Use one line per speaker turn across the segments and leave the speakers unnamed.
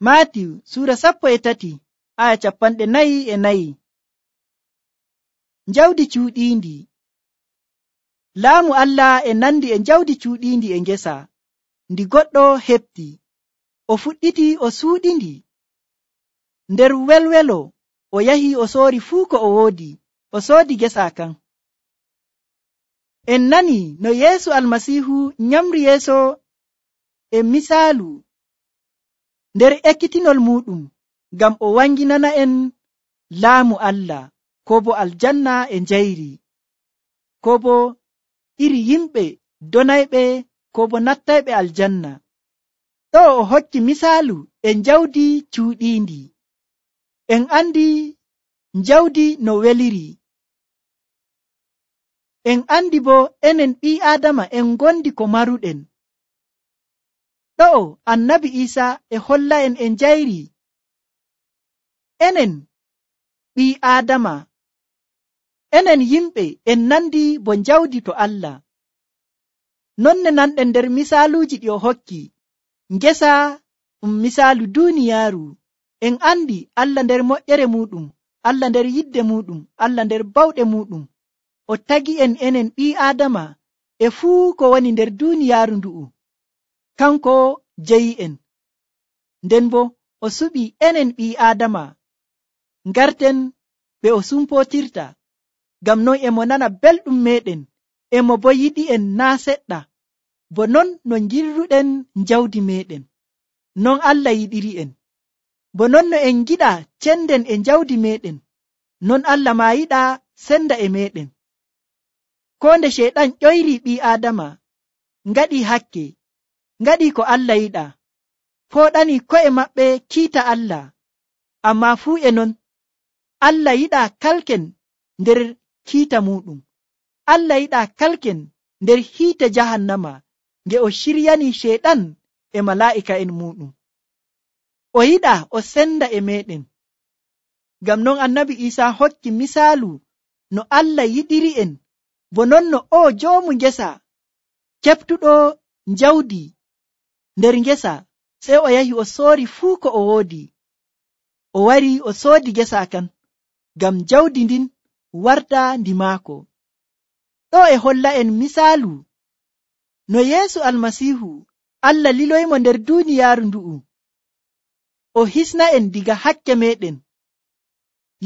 Maatiyu Suura 13 aya 44. Jawdi cuuɗiindi. Laamu Allah e nandi e jawdi cuuɗiindi e ngesa. Ndi goɗɗo heɓti, o fuɗɗiti o suuɗindi. Nder welwelo o yahi o soori fuu ko o woodi, o soodi gesa kan. En nani no Yeesu Almasiihu nyamri yeeso e misaalu nder ekkitinol muɗum ngam o wanginana en laamu Allah, ko bo aljanna e njayri, ko bo iri yimɓe donayɓe ko bo nattayɓe aljanna. Ɗo o hokki misaalu e jawdi cuuɗiindi. En andi jawdi no weliri. En andi bo enen ɓii Aadama en gondi ko maruɗen. Ɗo Annabi Iisaa e holla en e njayri. Enen ɓii Aadama, enen yimɓe en nandi bo jawdi to Allah. Nonne nanɗen nder misaaluuji ɗi o hokki. Ngesa misaalu duuniyaaru. En andi Allah nder moƴƴere muɗum, Allah nder yidde muɗum, Allah nder bawɗe muɗum. O tagi en enen ɓii Aadama e fuu ko woni nder duuniyaaru ndu'u. Kanko jeyi en. Nden bo o suɓi enen ɓii Aadama ngarten ɓe o sumpotirta. Ngam non emo nana belɗum meɗen, emo bo yiɗi en naa seɗɗa. Bo non no ngirruɗen jawdi meɗen, non Allah yiɗiri en. Bo non no en giɗa cenden e jawdi meɗen, non Allah ma yiɗa senda e meɗen. Ko nde Ceyɗan ƴoyri ɓii Aadama, ngaɗi hakke, ngaɗi ko Allah yiɗa, fooɗani ko'e maɓɓe kiita Allah. Amma fuu e non, Allah yiɗa kalken nder kiita muɗum. Allah yiɗa kalken nder hiite jahannama, nge o shiryani Ceyɗan e malaa'ika'en muɗum. O yiɗa o senda e meɗen. Ngam non Annabi Iisaa hokki misaalu no Allah yiɗiri en, bo non no o joomu ngesa keftuɗo jawdi nder ngesa, sey o yahi o soori fuu ko o woodi. O wari o soodi ngesa kan, ngam jawdi ndin warta ndi maako. Ɗo e holla en misaalu no Yeesu Almasiihu Allah liloymo nder duuniyaaru ndu'u, o hisna en diga hakke meɗen.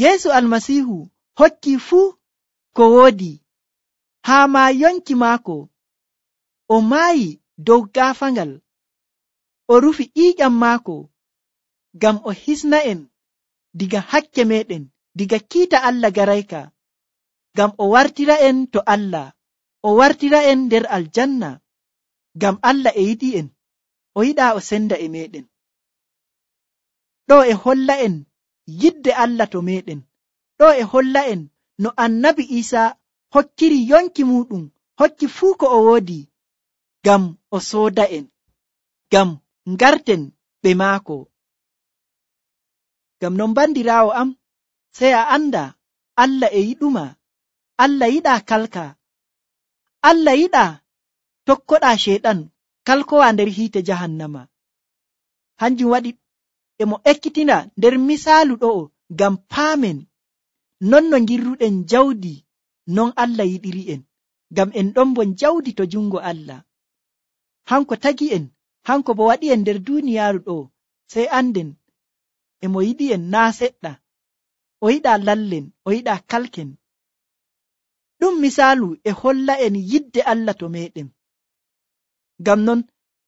Yeesu Almasiihu hokki fuu ko woodi, haa ma yonki maako. O maayi dow gaafangal, o rufi ƴiiƴam maako ngam o hisna en diga hakke meɗen, diga kiita Allah garayka, ngam o wartira en to Allah, o wartira en nder aljanna. Ngam Allah e yiɗi en, o yiɗa o senda e meɗen. Ɗo e holla en yidde Allah to meɗen. Ɗo e holla en no Annabi Iisaa hokkiri yonki muɗum, hokki fuu ko o woodi, ngam o sooda en, ngam ngarten ɓe maako. Ngam non bandiraawo am, sey a anda Allah e yiɗuma. Allah yiɗa kalka. Allah yiɗa tokkoɗa Ceyɗan kalkowa nder hiite jahannama. Hanjum waɗi emo ekkitina nder misaalu ɗo'o ngam paamen non no ngirruɗen jawdi, non Allah yiɗiri en, ngam en ɗon bo jawdi to jungo Allah. Hanko tagi en, hanko bo waɗi en nder duuniyaaru ɗo, sey anden emo yiɗi en naa seɗɗa. O yiɗa lallen, o yiɗa kalken. Ɗum misaalu e holla en yidde Allah to meɗen. Ngam non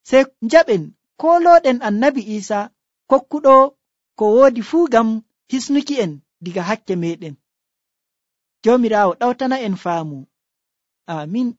sey njaɓen koolooɗen Annabi Iisaa kokkuɗo ko woodi fuu ngam hisnuki en diga hakke meɗen. Joomiraawo ɗawtana en faamu. Amin.